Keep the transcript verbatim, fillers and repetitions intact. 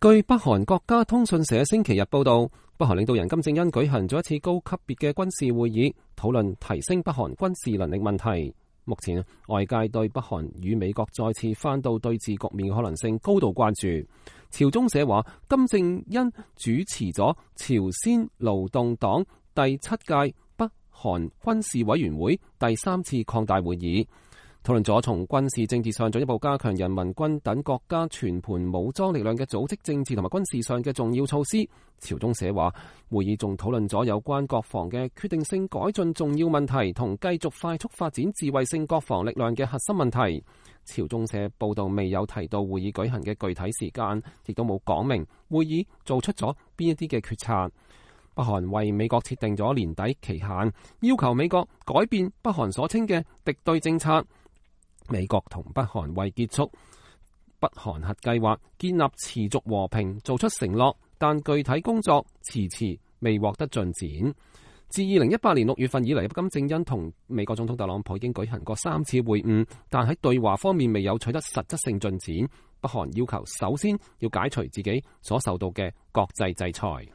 據北韓國家通訊社星期日報道，北韓領導人金正恩舉行咗一次高級別嘅軍事會議，討論提升北韓軍事能力問題。目前外界對北韓與美國再次翻到對峙局面嘅可能性高度關注。朝中社話，金正恩主持咗朝鮮勞動黨第七屆北韓軍事委員會第三次擴大會議，討論咗從軍事政治上進一步加強人民軍等國家全盤武裝力量嘅組織政治同埋軍事上嘅重要措施。朝中社話，會議仲討論咗有關國防嘅決定性改進重要問題同繼續快速發展智慧性國防力量嘅核心問題。朝中社報道未有提到會議舉行嘅具體時間，亦都冇講明會議做出咗邊一啲嘅決策。北韓為美國設定咗年底期限，要求美國改變北韓所稱嘅敵對政策。美國同北韓為結束北韓核計劃、建立持續和平做出承諾，但具體工作遲遲未獲得進展。自二零一八年六月份以嚟，金正恩同美國總統特朗普已經舉行過三次會晤，但喺對話方面未有取得實質性進展。北韓要求首先要解除自己所受到嘅國際制裁。